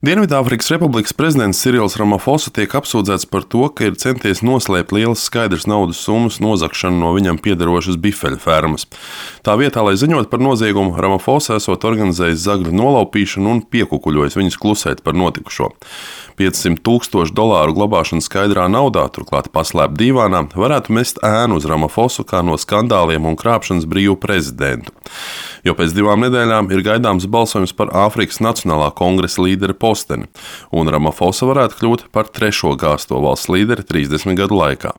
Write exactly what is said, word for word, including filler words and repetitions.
Dienvidāfrikas Republikas prezidents Sirils Ramafosa tiek apsūdzēts par to, ka ir centies noslēpt lielas skaidras naudas summas nozagšanu no viņam piederošas bifeļu fermas. Tā vietā, lai ziņot par noziegumu, Ramafosa esot organizējis zagļu nolaupīšanu un piekukuļojis viņus klusēt par notikušo. piecsimt tūkstošu dolāru glabāšana skaidrā naudā, turklāt paslēpt dīvānā, varētu mest ēnu uz Ramafosu kā no skandāliem un krāpšanas brīvu prezidentu. Jo pēc divām nedēļām ir gaidāms balsojums par Āfrikas Nacionālā kongresa līdera posteni, un Ramafosa varētu kļūt par trešo gāzto valsts līderi trīsdesmit gadu laikā.